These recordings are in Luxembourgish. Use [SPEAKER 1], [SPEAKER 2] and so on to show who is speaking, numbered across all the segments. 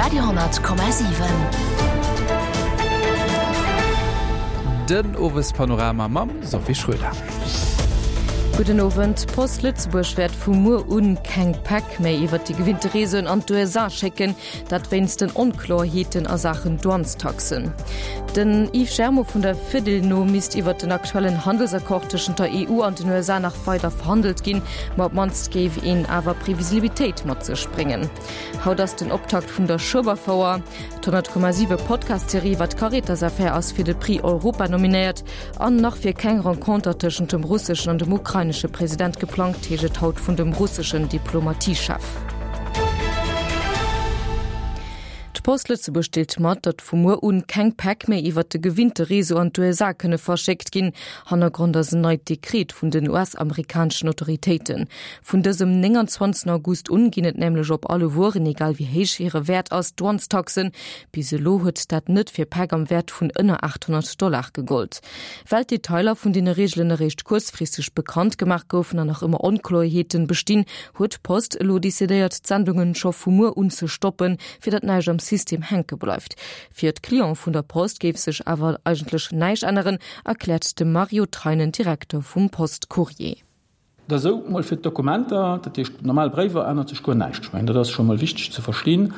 [SPEAKER 1] Radio,7.
[SPEAKER 2] Den Owespanorama mam Sophie Schröder.
[SPEAKER 3] Gudden Owend. D'Post Lëtzebuerg wäert vu muer un keng Päck méi iwwer déi gewinnte Reseauen an d'USA schécken. Dat wéinst den Onkloerheeten a Saachen Douanestaxen. Den Yves Germo vun der Fedil no misst iwwer den aktuellen Handelsaccord tëschent der EU an den USA nach weider verhandelt ginn, ma op d'mannst géif een awer Previsibilitéit mat sech bréngen. Haut ass den Optakt vun der Schueberfouer. D'100,7 Podcast-Serie iwwer d'Caritas-Affär ass fir de Prix Europa nominéiert. An nach wier keng Renconter tëschent dem russeschen an dem ukrainesche President geplangt, heescht et haut vun dem russeschen Diplomatiechef. D'Post Lëtzebuerg deelt mat, datt vu muer un keng Päck méi iwwert de gewinnte Réseau an d'USA kënne verschéckt ginn. Hannergrond ass en neit Dekret vun den US-amerikaneschen Autoritéiten. Vun dësem 29 August un ginn et nämlech op alle Wueren, egal wéi héich hire Wäert ass, Douanestaxen. Bis elo huet dat net fir Päck am Wäert vun ënner 800 Dollar gegollt. Well d'Detailer vun deene Reegelen eréischt kuerzfristeg bekannt gemaach goufen an nach ëmmer Onkloerheeten bestinn, huet d'Post elo decidéiert, d'Sendungen scho vu muer un ze stoppen, fir datt näischt am System hänke bleift. Fir d'Cliente vun der Post géif sech awer eigentlech näischt änneren, erkläert de Mario Treinen, Direkter vum Post-Courrier.
[SPEAKER 4] Et ass esou, mol fir d'Dokumenter, dat heescht normal Bréiwer, ännert sech guer näischt. Ech mengen, dat ass scho mol wichteg ze verstinn.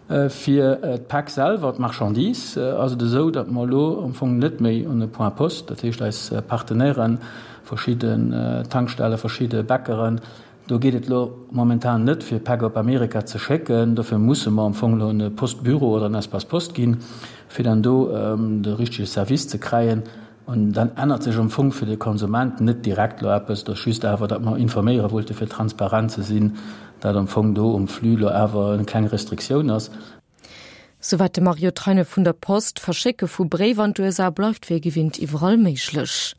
[SPEAKER 4] Fir d'Päck selwer, d'Marchandise, ass et esou, datt mer elo am Fong net méi un e Point Poste, dat heescht eis Partenairen, verschidden Tankstellen, verschidde Bäckeren, do geet et elo momentan net, fir Päck op Amerika ze schécken. Dofir musse mer am Fong elo un e Postbüro oder en Espace Poste ginn, fir dann do de richtege Service ze kräien. An dann ännert sech am Fong fir de Konsument net direkt elo eppes. Et ass just awer, datt mer informéiere wollte fir transparent ze sinn, datt am Fong do um Flux elo awer eng kleng Restriktioun ass.
[SPEAKER 3] Souwäit de Mario Treine vun der Post. D'Verschécke vu Bréiwer an d'USA bleift wéi gewinnt iwwerall méiglech.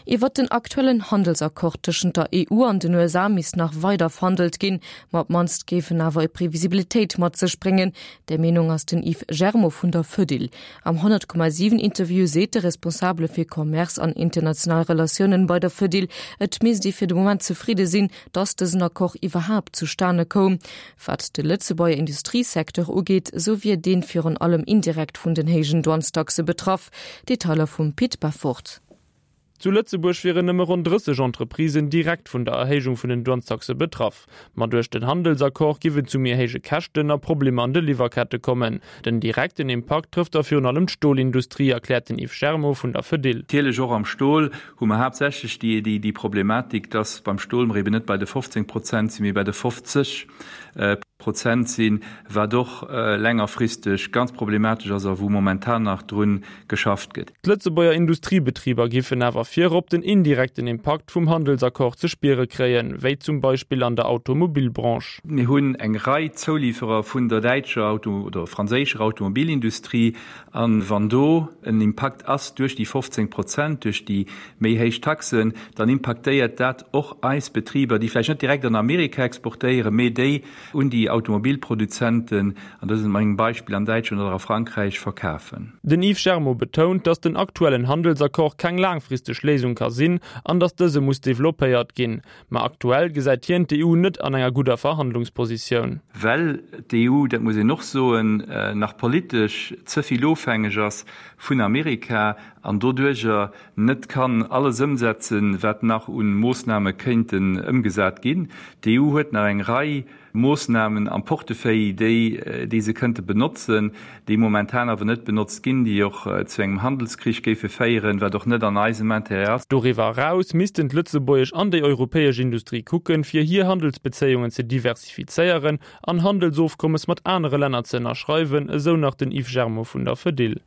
[SPEAKER 3] Iwwert den aktuellen Handelsaccord tëschent der EU an den USA misst nach weider verhandelt ginn, ma op d'mannst géif en awer e Previsibilitéit mat sech bréngen. Där Meenung ass den Yves Germo vun der Fedil. Am 100,7 Interview seet de Responsabele fir Commerce an international Relatiounen bei der Fedil, et misst ee fir de Moment zefridde sinn, datt dësen Accord iwwerhaapt zustane koum. Wat de Lëtzebuerger Industriesecteur ugeet, esou wier deen virun allem indirekt vun den héijen Douanestaxe betraff. Detailer vum Pit Beffort.
[SPEAKER 5] Zu Lëtzebuerg wieren nëmme ronn 30 Entreprisen direkt vun der Erhéijung vun den Douanestaxe betraff. Ma duerch den Handelsaccord giff et zu méi héije Käschten a Problemer an de Liwwerkette kommen. Den direkten Impakt trëfft da virun allem d'Stolindustrie, erkläert den Yves Germo vun der Fedil.
[SPEAKER 6] Natierlech och am Stol hu mer haaptsächlech déi Problematik, dass beim Stol mer eben net bei de 15 Prozent sinn, mee bei de 50 Prozent sinn, wat och längerfristeg ganz problematesch ass a wou momentan nach drun geschafft gëtt.
[SPEAKER 5] D'Lëtzebuerger Industriebetriber giffen awer virop den indirekten Impakt vum Handelsaccord ze spiere kréien, wéi zum Beispill an der Automobilbranche.
[SPEAKER 6] Mir hunn eng Rei Zouliferer vun der däitscher Auto oder franséischer Automobilindustrie, a wann do en Impakt ass duerch déi 15 Prozent, duerch déi méi héich Taxen, dann impaktéiert dat och eis Betriber, déi vläicht net direkt an Amerika exportéieren, mee déi un déi Automobilproduzenten, an dësem engem Beispill an Däitschland oder a Frankräich, verkafen.
[SPEAKER 5] Den Yves Germo betount, datt den aktuellen Handelsaccord keng laangfristeg Léisung ka sinn an datt dëse muss developpéiert ginn. Ma aktuell gesäit hien d'EU net an enger gudder Verhandlungspositioun.
[SPEAKER 6] Well d'EU, dat muss een och soen, nach politesch ze vill ofhängeg ass vun Amerika an doduerjer net kann alles ëmsetzen, wat nach u Moossname kéinten ëmgesat ginn. D'EU huet nach eng Rei Moossnamen am Portefeuille, déi, déi se kënnte benotzen, déi momentan awer net benotzt ginn, déi och zu engem Handelskrich géife féieren, wat och net an eisem Intérêt ass.
[SPEAKER 5] Doriwwer eraus missten d'lëtzebuergesch an déi europäesch Industrie kucken, fir hir Handelsbezéiungen ze diversifizéieren an Handelsofkommes mat anere Länner ze ënnerschreiwen, esou nach den Yves Germo vun der Fedil.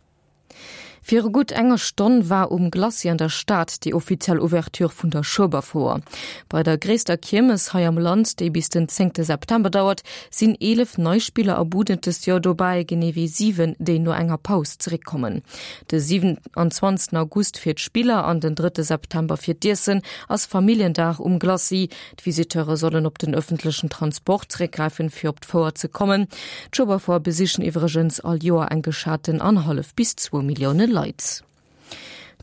[SPEAKER 3] Viru gutt enger Stonn war um Glacis an der Stad déi offiziell Ouverture vun der Schueberfouer. Bei der gréisster Kiermes hei am Land, déi bis den zéngte September dauert, sinn 11 nei Spiller a Buden dëst Joer dobäi, genee wéi 7, déi no enger Paus zeréckkommen. De 27 August fir d'Spiller an den drëtte September fir d'Iessen ass Familljendag um Glacis. D'Visiteure sollen op den ëffentlechen Transport zeréckgräifen, fir op d'Fouer ze kommen. D'Schueberfouer besichen iwwregens all Joer eng geschaten annerhallef bis zwou Millioune Leit.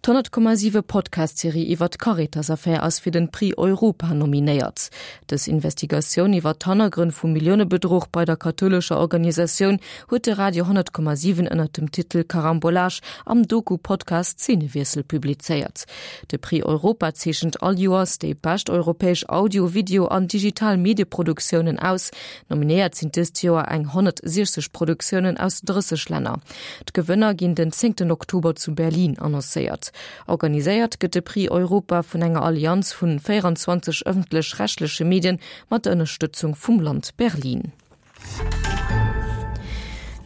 [SPEAKER 3] D'100,7 Podcast-Serie iwwer d'Caritas-Affär ass fir den Prix Europa nominéiert. Dës Investigatioun iwwer d'Hannergrënn vum Milliounebedruch bei der kathoulescher Organisatioun huet de Radio 100,7 ënnert dem Titel Carambolage am Doku-Podcast Szenewiessel publizéiert. De Prix Europa zeechent all Joers déi bescht europäesch Audio-, Video an digital Medieproduktiounen aus. Nominéiert sinn dëst Joer eng 160 Produktiounen aus 30 Länner. D'Gewënner ginn den zéngten Oktober zu Berlin annoncéiert. Organiséiert gëtt de Prix Europa vun enger Allianz vun 24 ëffentlech-rechtleche Medien mat der Ënnerstëtzung vum Land Berlin.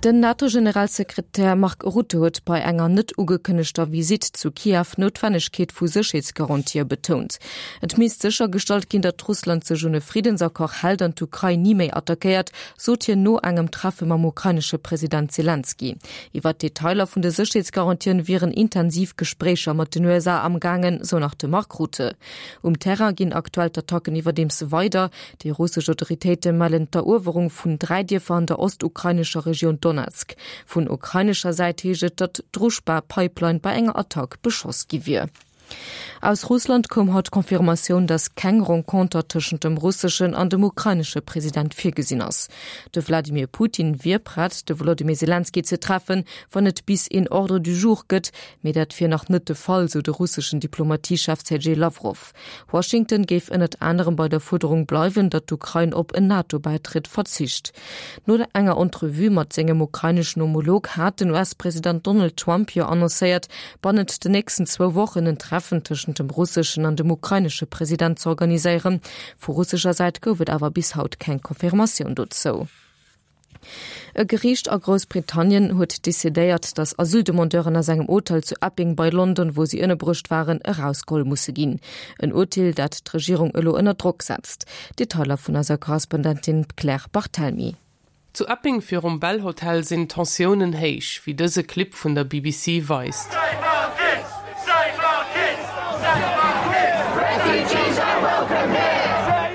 [SPEAKER 3] Den NATO-Generalsekretär Mark Rutte huet bei enger net ugekënnegter Visitt zu Kiew d'Noutwennegkeet vu Sécherheetsgarantië betount. Et misst séchergestallt ginn, datt Russland sech un e Friddensaccord hält an d'Ukrain ni méi attackéiert, sot hien no engem Treffe mam ukrainesche President Selenskyj. Iwwer d'Detailer vun de Sécherheetsgarantien wieren intensiv Gespréicher mat den USA amgaangen, sou nach de Mark Rutte. Um Terrain ginn aktuell d'Attacken iwwerdeems weider. Déi russesch Autoritéite mellen d'Eruewerung vun 3 Dierfer an der ostukrainescher Regioun Donezk. Vun ukrainescher Säit heescht et, datt d'Druschba-Pipeline bei enger Attack beschoss gi wier. Aus Russland koum haut d'Confirmatioun, datt keng Renconter tëschent dem russeschen an dem ukrainesche President virgesinn ass. De Wladimir Putin wier prett, de Wolodymyr Selenskyj ze treffen, wann et bis een Ordre du jour gëtt, mee dat wier nach net de Fall, sou de russeschen Diplomatiechef Sergej Lawrow. Washington géif ënnert anerem bei der Fuerderung bleiwen, datt d'Ukrain op en NATO-Bäitritt verzicht. No enger Entrevue mat sengem ukraineschen Homolog hat den US-President Donald Trump jo annoncéiert, bannent den nächsten zwou Wochen en Treffen tëschent dem russeschen an dem ukrainesche President z'organiséieren. Vu russescher Säit gouf et awer bis haut keng Confirmatioun dozou. E Geriicht a Groussbritannien huet decidéiert, datt Asyldemandeuren aus engem Hotel zu Epping bei London, wou si ënnerbruecht waren, erausgeholl musse ginn. En Urteel, dat d'Regierung elo ënner Drock setzt. Detailer vun eiser Korrespondentin Claire Barthelmy.
[SPEAKER 5] Zu Epping virum Bell Hotel sinn d'Tensiounen héich, wéi dëse Clip vun der BBC weist.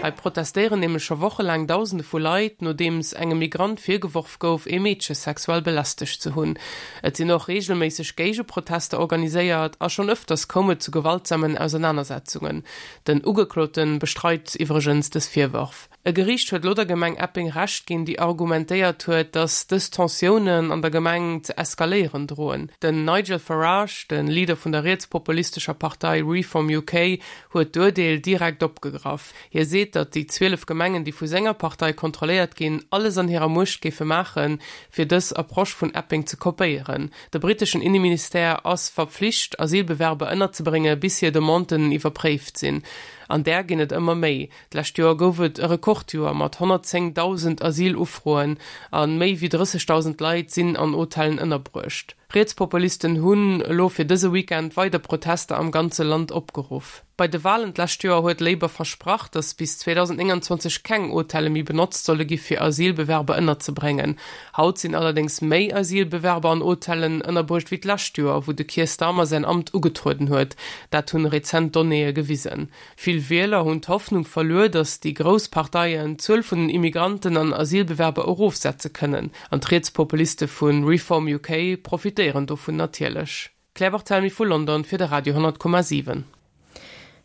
[SPEAKER 5] Hei protestéieren nämlech scho wochelaang Dausende vu Leit, nodeems engem Migrant virgeworf gouf, ee Meedche sexuell belästegt ze hunn. Et sinn och reegelméisseg Géigeprotester organiséiert a schonn ëfters koum et zu gewaltsamen Ausernanersetzungen. Den Ugeklote bestreit iwwregens dës Virwërf. E Geriicht huet elo der Gemeng Epping Recht ginn, déi argumentéiert huet, datt dës Tensiounen an der Gemeng ze eskaléieren droen. Den Nigel Farage, de Leader vun der rietspopulistescher Partei Reform UK, huet d'Urdeel direkt opgegraff. Hie seet, datt déi 12 Gemengen, déi vu senger Partei kontrolléiert ginn, alles an hirer Muecht géife maachen, fir dës Approche vun Epping ze kopéieren. De britteschen Inneministère ass verpflicht, Asylbewerber ënnerzebrénge bis hir Demanden iwwerpréift sinn. An där ginn et ëmmer méi. D'lescht Joer gouf et e Rekordjoer mat 110.000 Asylufroen a méi wéi 30.000 Leit sinn an Hotellen ënnerbruecht. Rietspopulisten hunn elo fir dëse Weekend weider Protester am ganze Land opgeruff. Bei de Walen d'lescht Joer huet Labour versprach, datt bis 2029 keng Hotelle méi benotzt solle gi fir Asylbewerber ënnerzebréngen. Haut sinn allerdéngs méi Asylbewerber an Hotellen ënnerbruecht wéi d'lescht Joer, wou de Keir Starmer säin Amt ugetrueden huet. Dat hunn rezent Donnéeë gewisen. Vill Wieler hunn d'Hoffnung verluer, datt déi grouss Parteien d'Zuel vun den Immigranten an Asylbewerber erofsetze kënnen. An d'Rietspopuliste vu Reform UK profitéieren dovun natierlech. Claire Barthelmy vu London fir de Radio 10,7.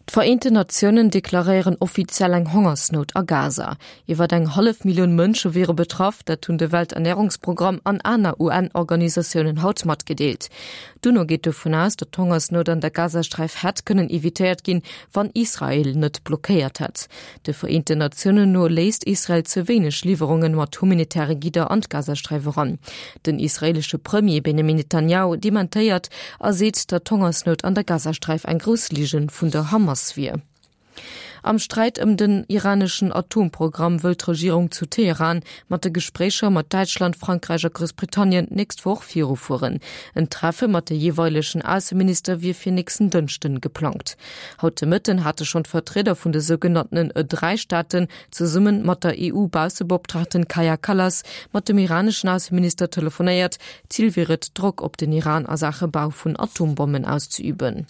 [SPEAKER 3] D'Vereenten Natiounen deklaréieren offiziell eng Hongersnout a Gaza. Iwwer eng hallef Millioun Mënsche wiere betraff, dat hunn de Welternärungsprogramm an aner UN-Organisatiounen haut matgedeelt. D'UNO geet dovun aus, datt d'Hongersnout an der Gazasträif hätt kënnen evitéiert ginn, wann Israel net blockéiert hätt. De Vereenten Natiounen no léisst Israel ze wéineg Liwwerunge mat humanitäre Gidder an d'Gazasträif eran. Den israeelesche Premier Benjamin Netanjahu dementéiert a seet, datt d'Hongersnout an der Gazasträif eng grouss Ligen vun der Hamas wier. Am Sträit ëm den iraneschen Atomprogramm wëll d'Regierung zu Teheran mat de Gespréicher mat Däitschland, Frankräich a Groussbritannien d'nächst Woch virufueren. En Treffe mat de jeeweilegen Ausseminister wier fir nächsten Dënschden geplangt. Haut de Mëtten hate schonn d'Vertrieder vun de sougenanntenen E-Dräi-Staaten zesumme mat der EU-Baussebeoptraagten Kaja Kallas mat dem iraneschen Ausseminister telefonéiert. Zil wier et, Drock op den Iran a Saache Bau vun Atombommen auszeüben.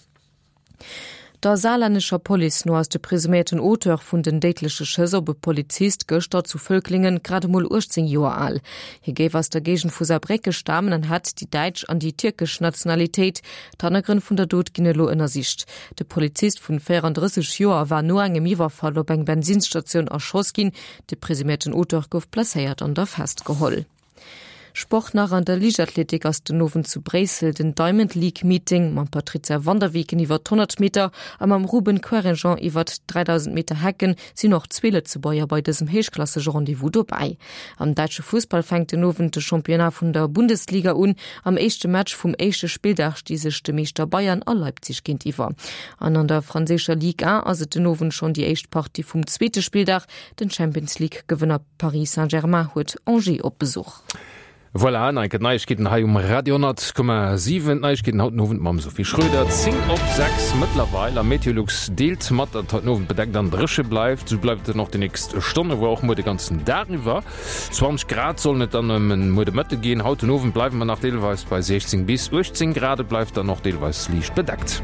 [SPEAKER 3] Der saarlännescher Police no ass de presuméierten Auteur vun den déidleche Schëss op e Polizist gëschter zu Völklingen grad emol 18 Joer al. Hie géif aus der Géigend vu Saarbrécke stamen an hätt déi däitsch an déi tierkesch Nationalitéit. D'Hannergrënn vun der Dot ginn elo ënnersicht. De Polizist vun 34 Joer war no engem Iwwerfall op eng Bensinnsstatioun erschoss ginn. De presuméierten Auteur gouf blesséiert an da festgeholl. Sport nach, An der Liichtathletik ass den Owend zu Bréissel den Diamond League Meeting mam Patrizia van der Weken iwwer d'100 Meter a mam Ruben Querinjean iwwer d'3000 Meter Hecken sinn och zwee Lëtzebuerger bei dësem héichklassege Rendez-vous dobäi. Am däitsche Fussball fänkt den Owend de Championnat vun der Bundesliga un. Am éischte Match vum éischte Spilldag sti sech de Meeschter Bayern a Leipzig géintiwwer. An an der franséischer Ligue 1 ass et den Owend schonn déi éischt Partie vum zweete Spilldag. Den Champions League Gewënner Paris Saint-Germain huet Angers op Besuch.
[SPEAKER 1] Voilà, an enke Neiegkeeten hei um Radio 10,7. D'Neiegkeeten haut den Owend mam Sophie Schröder. 10 op 6 mëttlerweil a Meteolux deelt mat, datt et haut den Owend bedeckt an dréche bleift. Esou bleift et dann och déi nächst Stonne, voire och muer de ganzen Dag iwwer. 20 Grad sollen et dann ëm muer de Mëtte ginn. Haut den Owend bleiwe mer nach deelweis bei 16 bis 18 Grad. Et bleift dann och deelweis liicht bedeckt.